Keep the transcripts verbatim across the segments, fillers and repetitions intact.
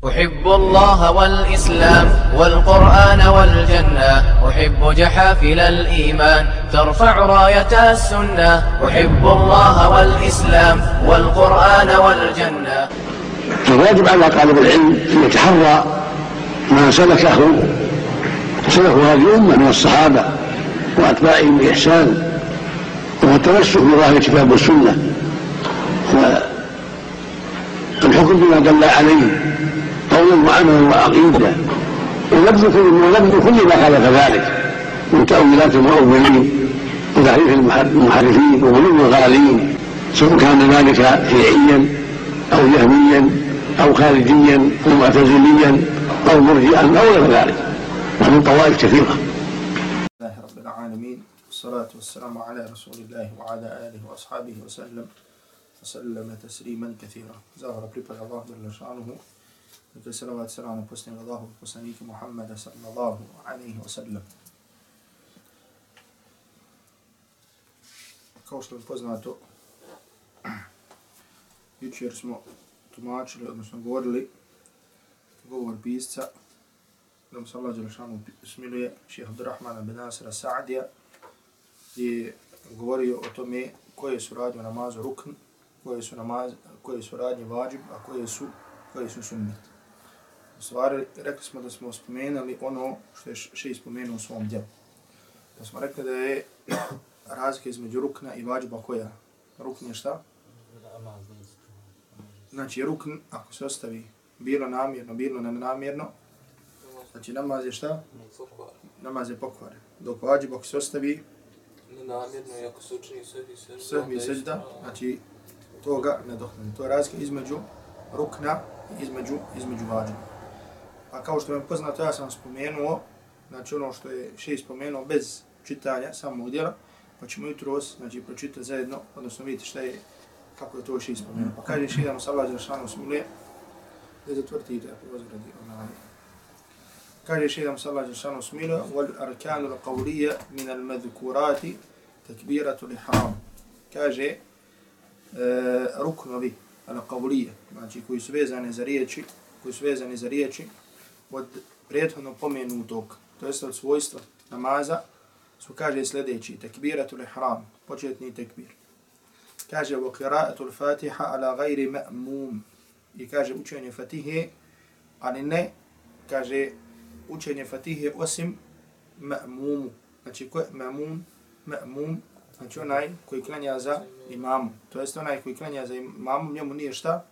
أحب الله والإسلام والقرآن والجنة أحب جحافل الإيمان ترفع راية السنة أحب الله والإسلام والقرآن والجنة. فالواجب على طالب العلم أن يتحرى ما سلكه سلكه هذه الأمة من الصحابة وأتباعهم بإحسان وهو التمسك بظاهر الكتاب والسنة والحكم بما دل عليه قولا وعملا وعقيدة ونبذ كل ما خالف ذلك من تأويلات المؤولين وتحريف المحرفين وغلو الغالين سواء كان ذلك شيعيا أو جهميا أو خارجيا أو معتزليا أو مرجئا أو غير ذلك ومن طوائف كثيرة. الله رب العالمين والصلاة والسلام على رسول الله وعلى آله وأصحابه وسلم وسلم تسليما كثيرا. زهر pripada Allah dželle šanuhu. Neka salavat selam na posljednjeg Allahu poslanika Muhammeda sallallahu alejhi ve sellem. Kao što je poznato, jučer smo tumačili, odnosno govorili govor pisca, da mu se Allah dželle šanuhu smiluje, šejh Abdurrahmana bin Nasira Sa'dija, je govorio o tome koje su radnje namazu rukn, koje su, namaz, koje su radnje vađib, a koje su, koje su sunnet. U stvari, rekli smo da smo spomenuli ono što je šejh spomenuo u svom djelu. Da smo rekli da je razlika između rukna i vađiba koja? Rukn je šta? Znači, rukn, ako se ostavi bilo namjerno, bilo nenamjerno, znači namaz je šta? Namaz je pokvaren. Dok vađib, ako se ostavi nenamjerno i ako se učini sehvi i sežda, znači toga ne dohne. To je razlika između rukna i između, između vađiba. A kao što vam je poznato, ja sam spomenuo, znači ono što je šejh spomenuo bez čitanja samog djela, pa ćemo jutros, znači, pročitati zajedno, odnosno vidjeti šta je, kako je to šejh spomenuo. Pa kaže šejh da mu se Allah dželle šanuhu smiluje, da zatvrtite, ako vas gradi onaj. Kaže šejh da mu se Allah dželle šanuhu smiluje, wal arkanu al-qawliya min al-madhkurati takbiratu al-ihram. Kaže uh, ruknovi al-qawliya, znači koji su vezani za riječi, koji su vezani za riječi od prethodno pomenutog, to jest od svojstva namaza, su, kaže, sljedeći: tekbiratul ihram, početni tekbir. Kaže wa qira'atul fatiha ala ghairi ma'mum. I kaže učenje fatihe, ali ne, kaže učenje fatihe osim ma'mumu. Znači ko je ma'mum? Ma'mum, znači onaj koji klanja za imamom. To jest onaj koji klanja za imamom, njemu nije šta?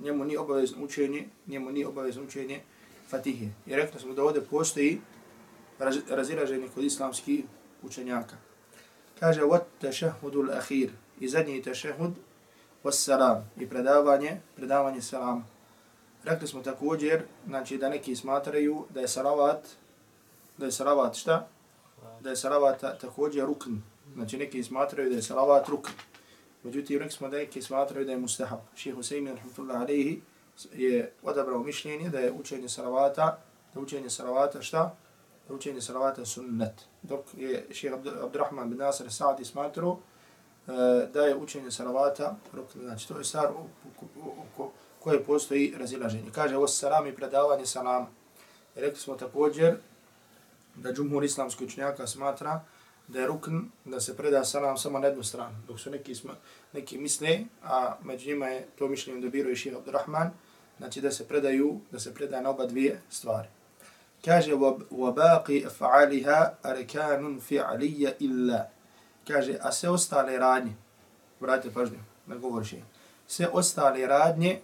Njemu nije obavezno učenje, njemu nije obavezno učenje fatihe. I rekli smo da ovdje postoji raz, razilaženje kod islamskih učenjaka. Kaže wat tashahhudul akhir, i zadnji tashahhud was salam, i predavanje, predavanje salama. Rekli smo također, znači da neki smatraju da je salavat, da je salavat šta? Da je salavat također rukn. Znači neki smatraju da je salavat rukn. Međutim, rekli smo da neki smatraju da je mustahab. Šejh Usejmin rahmetullahi alejhi je odabrao mišljenje da je učenje salavata, da učenje salavata šta? Da učenje salavata sunnet. Dok je šejh Abdurrahman bin Nasir Sa'di smatrao uh, da je učenje salavata rukn. Znači to je stvar oko koje postoji razilaženje. Kaže was salam i predavanje salama. I rekli smo također da džumhur islamskih učenjaka smatra da je rukn da se preda salam samo na jednu stranu. Dok su neki, sma, neki misle, a među njima je to mišljenje dobiro i šejh Abdurrahman, znači da se predaju, da se preda na oba dvije stvari. Kaže وَبَاقِ أَفْعَالِهَا أَرْكَانٌ فِعْلِيَّ إِلَّا. Kaže, a sve ostale radnje, vratite pažnju, ne govoriš je, sve ostale radnje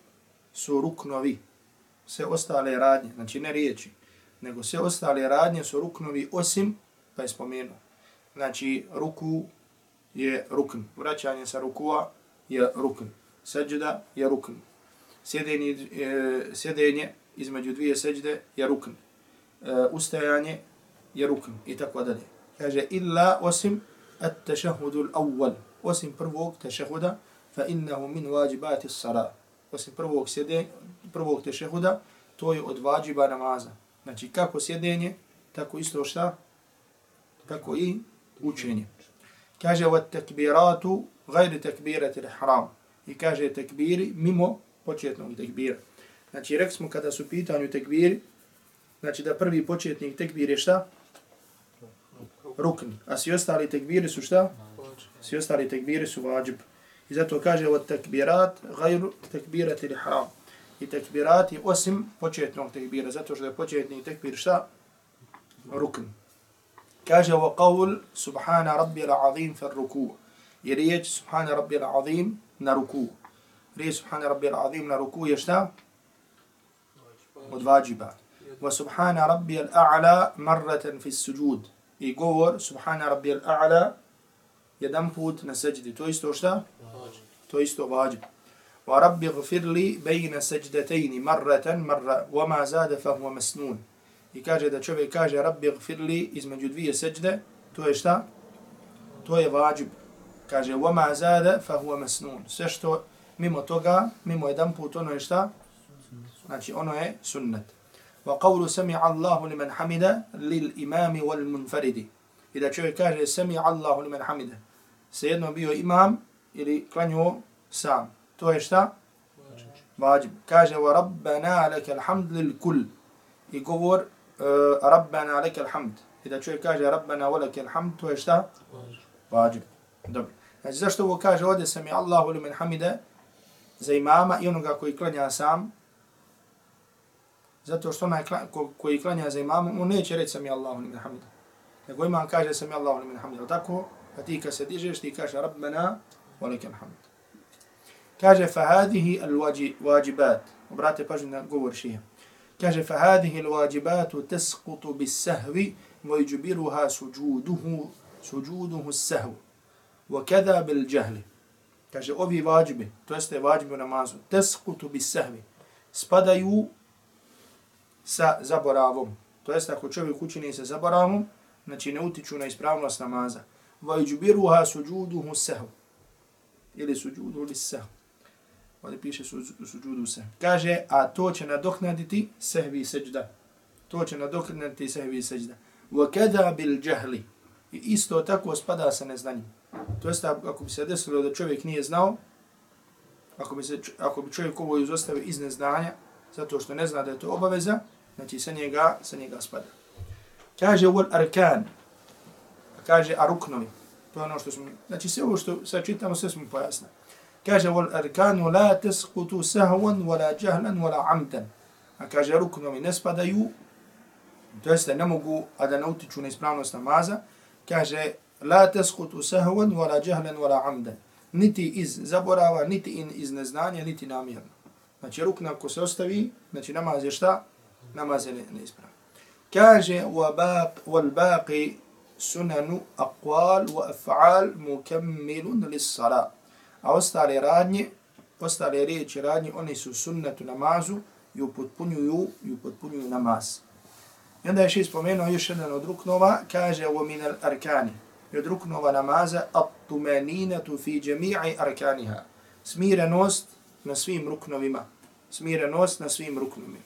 su ruknovi. Sve ostale radnje, znači ne riječi, nego sve ostale radnje su ruknovi osim, pa je spomenuo. Znači, ruku je rukn. Vraćanje sa rukua je rukn. Seđda je rukn. Sjedenje, e, sjedenje između dvije seđde je rukn. E, ustajanje je rukn. I tako dalje. Kaže, illa osim at-tashahhudul awwal. Osim prvog tešehuda, fa innahu min wajibati as-salat. Osim prvog sjedenja, prvog tešehuda, to je od vađiba namaza. Znači, kako sjedenje, tako isto šta? Tako i učenje. Kaže wa takbiratu ghayr takbirati al-ihram. I kaže tekbiri mimo početnog tekbira. Znači, rekli smo kada su pitanju tekbiri, znači da prvi početnik tekbir je šta? Rukn. A svi ostali tekbiri su šta? Svi ostali tekbiri su vađib. I zato kaže od tekbirat gajru tekbirati li haram. I tekbirati osim početnog tekbira, zato što je početni tekbir šta? Rukn. Kaže wa qawl subhana rabbiyal azim fi ruku'. I riječ subhana rabbiyal azim na ruku'. Riječ subhana rabbiyal azim na ruku' je šta? Od vađiba. Wa subhana rabbiyal a'la marratan fi sujud. I govor subhana rabbiyal a'la jedan put na seđdi. To isto šta? To isto vađib. Wa rabbi gfir li bejna seđdatejni marratan marra wa ma zade fa huwa masnun. I kaže da čovjek kaže rabbi gfir li između dvije seđde, to je šta? To je vađib. Kaže wa ma zade fa huwa masnun. Sve što mimo toga, mimo jedan put, ono je šta? Znači ono je sunnet. Wa qawlu sami'a Allahu liman hamida lil imami wal munfaridi. I da čovjek kaže sami'a Allahu liman hamida. Svejedno bio imam ili klanjuo sam. To je šta? Vađib. Kaže wa rabbana lakal hamd lil kull. I govor uh, rabbana lakal hamd. I da čovjek kaže rabbana wa lakal hamd, to je šta? Vađib. Dobro. Znači zašto ovo kaže ovdje sami'a Allahu liman hamida za imama i onoga koji klanja sam? Zato što onaj ko, koji klanja za imamom, on neće reći sami Allahu liman hamida. Nego imam kaže sami Allahu liman hamida. Tako, pa ti kad se dižeš, ti kaže rabbana wa lakal hamd. Kaže fahadihi al-wajibat. Obrate pažnju na govor šeha. Kaže fahadihi al-wajibatu tasqutu bis-sahwi wa yujbiruha sujuduhu sujuduhu as-sahw. Wa kadha bil-jahl. Kaže ovi vađibi, to jeste vađibi u namazu, tasqutu bis-sahwi. Spadaju sa zaboravom. To jest ako čovjek učini sa zaboravom, znači ne utiču na ispravnost namaza. Vajđubiruha suđuduhu sahv. Ili suđuduhu li sahv. Ovdje piše suđuduhu sahv. Kaže, a to će nadoknaditi sahvi seđda. To će nadoknaditi sahvi seđda. Vakada bil džahli. I isto tako spada sa neznanjem. To jest ako bi se desilo da čovjek nije znao, ako bi, se, ako bi čovjek ovo izostavio iz neznanja, zato što ne zna da je to obaveza, znači sa njega, sa njega spada. Kaže wal arkan, kaže a ruknovi, to je ono što smo, znači sve ovo što sad čitamo, sve smo pojasnili. Kaže wal arkanu la tasqutu sahwan wala jahlan wala amdan. A kaže ruknovi ne spadaju, to jeste ne mogu, a da ne utiču na ispravnost namaza. Kaže la tasqutu sahwan wala jahlan wala amdan. Niti iz zaborava, niti iz neznanja, niti namjerno. Znači rukna ako se ostavi, znači namaz je šta? Namaz je neispravan. Kaže وَالْبَاقِ سُنَنُ أَقْوَالُ وَأَفْعَالُ مُكَمِّلٌ لِلصَّلَاةِ. A ostale radnje, ostale riječi radnje, oni su sunnetu namazu i upotpunjuju, i upotpunjuju namaz. I onda je še spomenuo još jedan od ruknova, kaže وَمِنَ الْأَرْكَانِ. I od ruknova namaza الطُّمَنِينَةُ فِي جَمِيعِ أَرْكَانِهَا. Smirenost na svim ruknovima. Smirenost na svim ruknovima.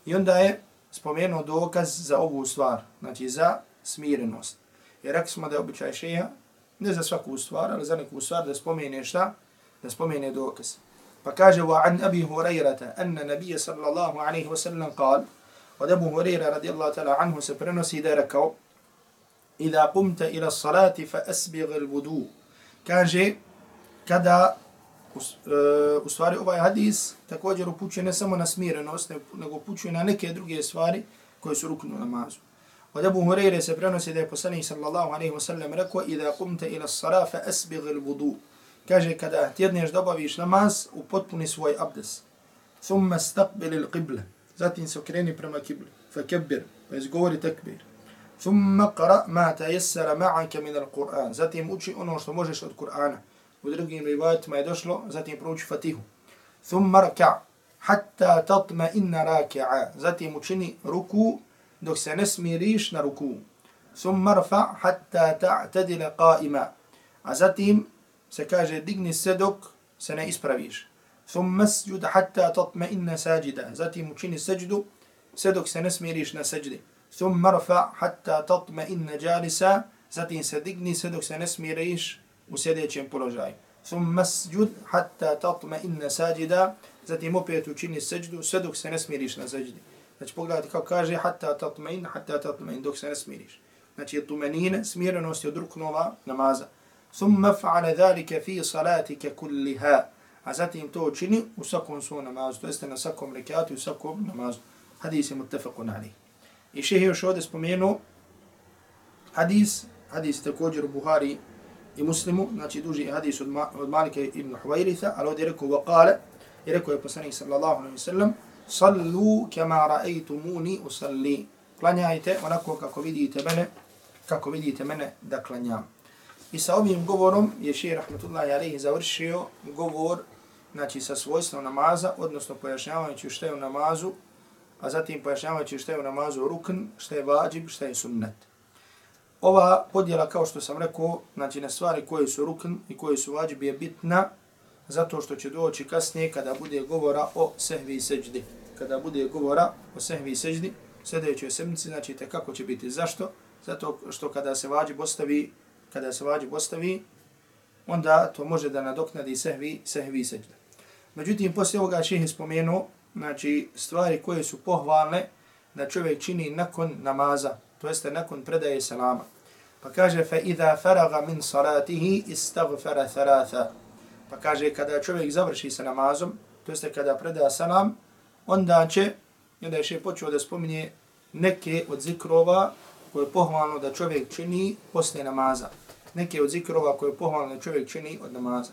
I onda je spomenuo dokaz za ovu stvar, znači za smirenost. Jer rekli smo da je običaj šeha, ne za svaku stvar, ali za neku stvar da spomene šta? Da spomene dokaz. Pa kaže, وَعَنْ أَبِي هُرَيْرَةَ أَنَّ نَبِيَ صَلَّى اللَّهُ عَلَيْهِ وَسَلَّمْ قال, od Abu Hurajra radijallahu ta'ala anhu se prenosi da je rekao, إِذَا قُمْتَ إِلَى الصَّلَاةِ فَأَسْبِغِ الْوُدُوء. Kaže, kada U, uh, u stvari ovaj hadis također upućuje ne samo na smirenost, nego upućuje na neke druge stvari koje su ruknu namazu. Od Abu Hurajre se prenosi da je poslanik sallallahu alejhi ve sellem rekao: "Iza qumta ila as-salah fa asbigh al-wudu." Kaže kada tjedneš da obaviš namaz, upotpuni svoj abdes. Thumma istaqbil al-qibla. Zatim se okreni prema kibli. Fakabbir, pa izgovori takbir. Thumma qra ma tayassara ma'aka min al-Qur'an. Zatim uči ono što možeš od Kur'ana. U drugim rivajatima je došlo, zatim prouči Fatihu. Thumma raka' hatta tatma'inna raki'a. Zatim učini ruku dok se ne smiriš na ruku. Thumma rfa' hatta ta'tadila qa'ima. A zatim se kaže digni se dok se ne ispraviš. Thumma sjud hatta tatma'inna sajida. Zatim učini seđdu se dok se ne smiriš na seđdi. Thumma rfa' hatta tatma'inna jalisa. Zatim se digni se dok se ne smiriš u sljedećem položaju. thumma sjud hatta tatma'inna sajida, zatim opet učini seđdu sve dok se ne smiriš na seđdi. Znači pogledajte kako kaže hatta tatma'in, hatta tatma'in, dok se ne smiriš. Znači tumenine, smirenost je od ruknova namaza. Thumma fa'ala dhalika fi salatika kulliha, a zatim to učini u svakom svom namazu, to jeste na svakom rekatu i u svakom namazu. Hadis je muttafaqun alejh. I šejh još ovdje spomenuo hadis, hadis također u Buhari i Muslimu, znači duži hadis od, Ma, od Malika ibn Huwairitha, ali ovdje je rekao وقال, i rekao je poslanik sallallahu alejhi ve sellem, sallu kama ra'aytumuni usalli, klanjajte onako kako vidite mene, kako vidite mene da klanjam. I sa ovim govorom je šejh rahmetullahi alejhi završio govor, znači sa svojstvom namaza, odnosno pojašnjavajući šta je u namazu, a zatim pojašnjavajući šta je u namazu rukn, šta je vađib, šta je sunnet. Ova podjela, kao što sam rekao, znači na stvari koje su rukn i koje su vađib je bitna, zato što će doći kasnije kada bude govora o sehvi i seđdi. Kada bude govora o sehvi i seđdi, sljedećoj sedmici, znači te kako će biti. Zašto? Zato što kada se vađib ostavi, kada se vađib ostavi, onda to može da nadoknadi sehvi, sehvi i seđda. Međutim, poslije ovoga šejh je spomenuo, znači stvari koje su pohvalne da čovjek čini nakon namaza, to jeste nakon predaje salama. Pa kaže fa idha faraga min salatihi istaghfara thalatha. Pa kaže kada čovjek završi sa namazom, to jeste kada preda salam, onda će, onda je šejh počeo da spominje neke od zikrova koje je pohvalno da čovjek čini poslije namaza. Neke od zikrova koje je pohvalno da čovjek čini od namaza.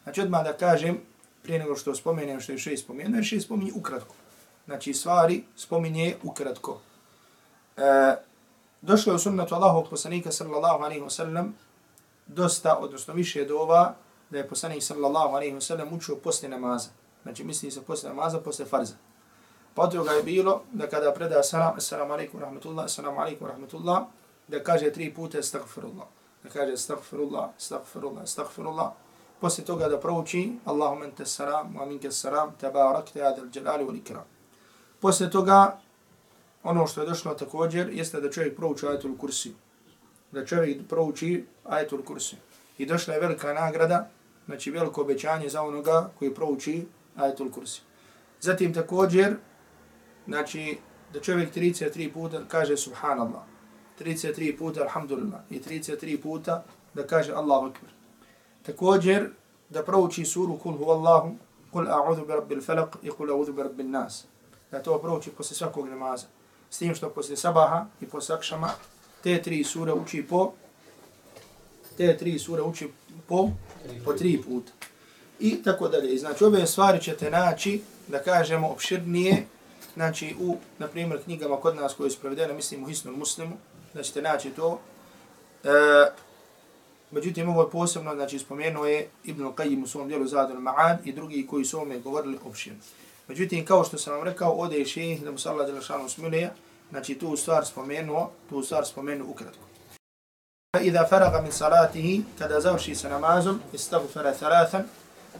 Znači odmah da kažem, prije nego što spomenem što je šejh spomenuo, šejh spominje ukratko. Znači stvari spominje ukratko. E, došlo je u sunnetu Allahovog poslanika sallallahu alejhi ve sellem dosta, odnosno više dova da je poslanik sallallahu alejhi ve sellem učio poslije namaza. Znači misli se poslije namaza, poslije farza. Pa od toga je bilo da kada preda salam, assalamu alaikum rahmatullah, assalamu alaikum rahmatullah, da kaže tri puta astaghfirullah. Da kaže astaghfirullah, astaghfirullah, astaghfirullah. Poslije toga da prouči Allahumma anta salam wa minka salam tabarakta ya dal jalali wal ikram. Poslije toga ono što je došlo također jeste da čovjek prouči ajetul kursi. Da čovjek prouči ajetul kursi. I došla je velika nagrada, znači veliko obećanje za onoga koji prouči ajetul kursi. Zatim također, znači da čovjek trideset tri puta kaže subhanallah, trideset tri puta alhamdulillah i trideset tri puta da kaže Allahu akbar. Također da prouči suru kul huvallahu, kul a'udhu bi rabbil falaq i kul a'udhu bi rabbin nas. Da to prouči posle svakog namaza. S tim što posle sabaha i posle akšama te tri sure uči po te tri sure uči po po tri puta. I tako dalje. Znači ove stvari ćete naći, da kažemo, opširnije, znači u, na primjer, knjigama kod nas koje su prevedene, mislim u Hisnul Muslimu, da ćete naći to. E, međutim, ovo je posebno, znači spomenuo je Ibn Qayyim u svom dijelu Zadul Ma'ad i drugi koji su ome govorili opširno. Međutim, kao što sam vam rekao, ovdje je šejh, da mu se Allah dželešanu smiluje, znači tu stvar spomenuo, tu stvar spomenuo ukratko. Iza faraga min salatihi, kada završi sa namazom, istaghfara thalathan,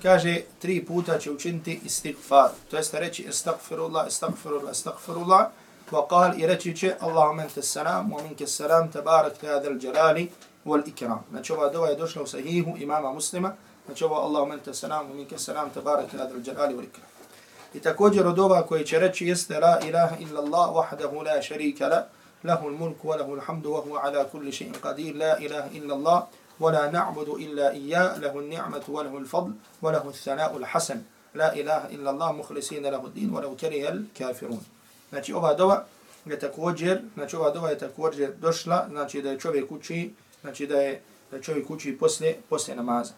kaže tri puta će učiniti istighfar. To jeste reći astaghfirullah, astaghfirullah, astaghfirullah, wa qal i reći će Allahumma anta salam, wa minka salam, tabarakta ya dal jalali wal ikram. Znači ova dova je došla u sahihu imama Muslima, znači ova Allahumma anta salam, wa minka salam, tabarakta ya dal jalali wal ikram. I također od ova koji će reći jeste la ilaha illa Allah wahdahu la sharika la, lahu al-mulku wa lahu al-hamdu wa huwa ala kulli shay'in qadir, la ilaha illa Allah ولا نعبد إلا إياه له النعمة وله الفضل وله الثناء الحسن لا إله إلا الله مخلصين له الدين ولو كره الكافرون. Znači ova dova je također, znači ova dova je također došla, znači da je čovjek uči, znači da je da čovjek uči posle posle namaza.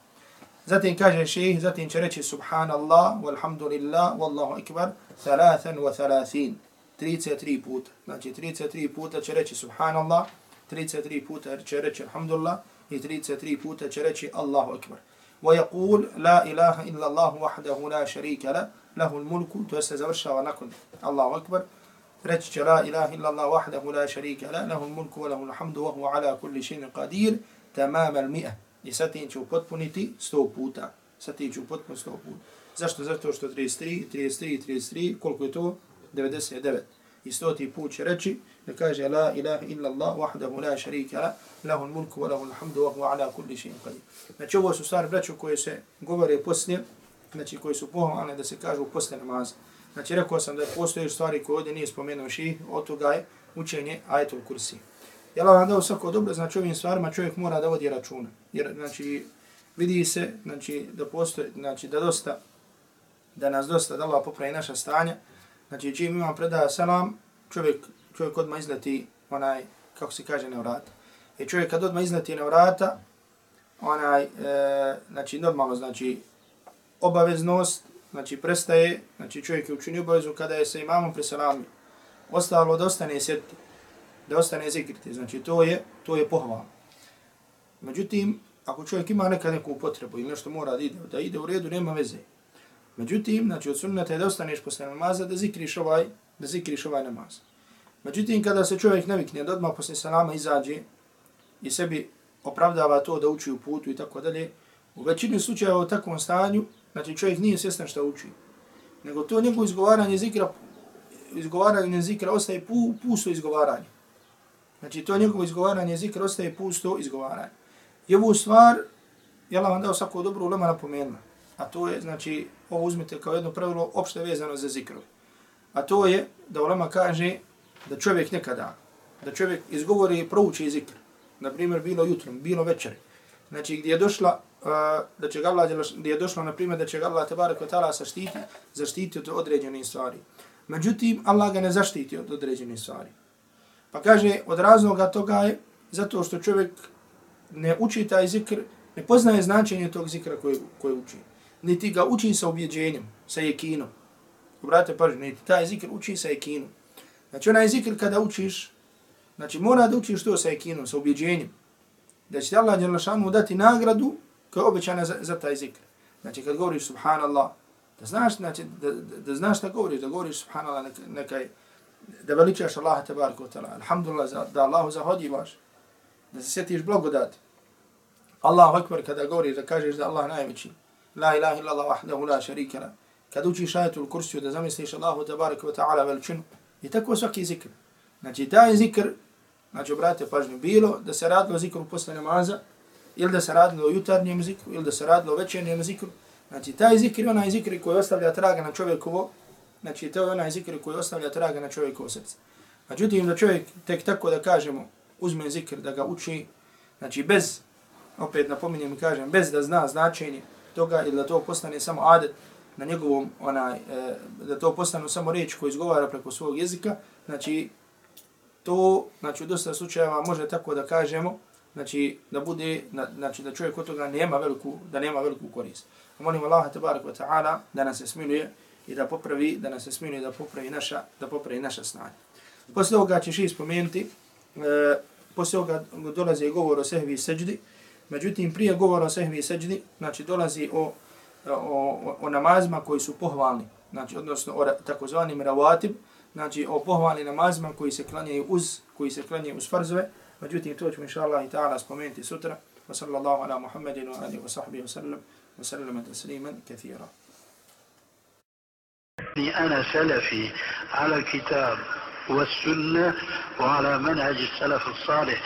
Zatim kaže šejh, zatim će reći subhanallah walhamdulillah wallahu akbar thalathan wa thalathin, trideset tri puta. Znači trideset tri puta će reći subhanallah, trideset tri puta će reći alhamdulillah i trideset tri puta će reći Allahu akbar. Wa yaqul la ilaha illa Allah wahdahu la sharika la, lahu al-mulku, to se završava nakon Allahu akbar. Reći će la ilaha illa Allah wahdahu la sharika la, lahu al-mulku wa lahu al-hamdu wa huwa ala kulli shay'in qadir, tamam al-mi'a. I satin će upotpuniti sto puta. Satin će upotpuniti sto puta. Zašto? Zato što trideset tri, trideset tri, trideset tri, koliko je to? devedeset devet. I stoti put će reći da kaže la ilaha illa Allah wahdahu la sharika la lahul mulku wa lahul hamdu wa huwa ala kulli shay'in qadir. Znači ovo su stvari braćo koje se govore poslije, znači koji su pohvalne da se kažu poslije namaza. Znači rekao sam da postoje stvari koje ovdje nije spomenuo ših, od toga je učenje ajetul kursi. Ja vam dao svako dobro, znači ovim stvarima čovjek mora da vodi računa. Jer znači vidi se znači da postoji, znači da dosta da nas dosta da Allah popravi naša stanja. Znači čim imam predaja selam, čovjek čovjek odmah izleti onaj kako se kaže na vrata. I čovjek kad odmah izleti na vrata, onaj e, znači normalno znači obaveznost, znači prestaje, znači čovjek je učinio obavezu kada je sa imamom preselamio. Ostalo da ostane sjediti, da ostane zikriti, znači to je, to je pohvalno. Međutim, ako čovjek ima nekad neku potrebu ili nešto mora da ide, da ide u redu, nema veze. Međutim, znači od sunneta je da ostaneš posle namaza, da zikriš ovaj, da zikriš ovaj namaz. Međutim, kada se čovjek navikne da odmah posle salama izađe i sebi opravdava to da uči u putu i tako dalje, u većini slučajeva u takvom stanju, znači čovjek nije svjestan šta uči. Nego to njegovo izgovaranje zikra, izgovaranje zikra ostaje pu, pusto izgovaranje. Znači to njegovo izgovaranje zikra ostaje pusto izgovaranje. I ovu stvar, ja vam dao svako dobro ulema napomenula. A to je, znači, ovo uzmite kao jedno pravilo opšte vezano za zikrove. A to je da ulema kaže da čovjek nekada, da čovjek izgovori i prouči zikr. Na primjer, bilo jutrom, bilo večeri. Znači, gdje je došla, uh, da će ga Allah, gdje je došlo, na primjer, da će ga Allah tebarek ve taala zaštiti, zaštiti od određenih stvari. Međutim, Allah ga ne zaštiti od određenih stvari. Pa kaže, od razloga toga je zato što čovjek ne uči taj zikr, ne poznaje značenje tog zikra koje, koje uči. Niti ga uči sa ubjeđenjem, sa jekinom. Obratite pažnju, niti taj zikr uči sa jekinom. Znači, onaj zikr kada učiš, znači mora da učiš to sa jekinom, sa ubjeđenjem. Da će ti Allah dželešanu dati nagradu koja je obećana za, za taj zikr. Znači, kad govoriš subhanallah, da znaš, znači, da, da, da znaš šta govoriš, da govoriš subhanallah, neka, nekaj, da veličaš Allaha tebareke ve taala. Alhamdulillah, da Allahu zahvaljivaš, da se sjetiš blagodati. Allahu ekber kada govoriš, da kažeš da Allah najveći. La ilaha illallah wahdahu la sharika la. Kad učiš ajetul kursiju, da zamisliš Allahu tebareke ve taala veličinu. I tako svaki zikr. Znači taj zikr, znači obratite pažnju, bilo da se radilo o zikru posle namaza, ili da se radilo o jutarnjem zikru, ili da se radilo o večernjem zikru. Znači taj zikr je onaj zikr koji ostavlja traga na čovjekovo, znači to je onaj zikr koji ostavlja traga na čovjekovo srce. Međutim, da čovjek tek tako da kažemo, uzme zikr da ga uči, znači bez, opet napominjem i kažem, bez da zna značenje toga ili da to postane samo adet na njegovom, onaj, e, da to postane samo riječ koju izgovara preko svog jezika, znači to, znači u dosta slučajeva može tako da kažemo, znači da bude, znači da čovjek od toga nema veliku, da nema veliku korist. Molim Allaha tebareke ve taala da nas se smiluje i da popravi, da nas se smiluje da popravi naša, da popravi naša snage. Posle ovoga ćeš i spomenuti, e, posle ovoga dolazi govor o sehvi i seđdi, međutim prije govora o sehvi i seđdi, znači dolazi o, o, o, o namazima koji su pohvalni, znači odnosno o takozvanim rawatib, znači o pohvalnim namazima koji se klanjaju uz, koji se klanjaju uz farzove, međutim to ćemo inšallah i ta'ala spomenuti sutra. Wa sallallahu ala Muhammedin wa alihi wa sahbihi wa sallam wa sallama tasliman kathira. أنا سلفي على الكتاب والسنة وعلى منهج السلف الصالح.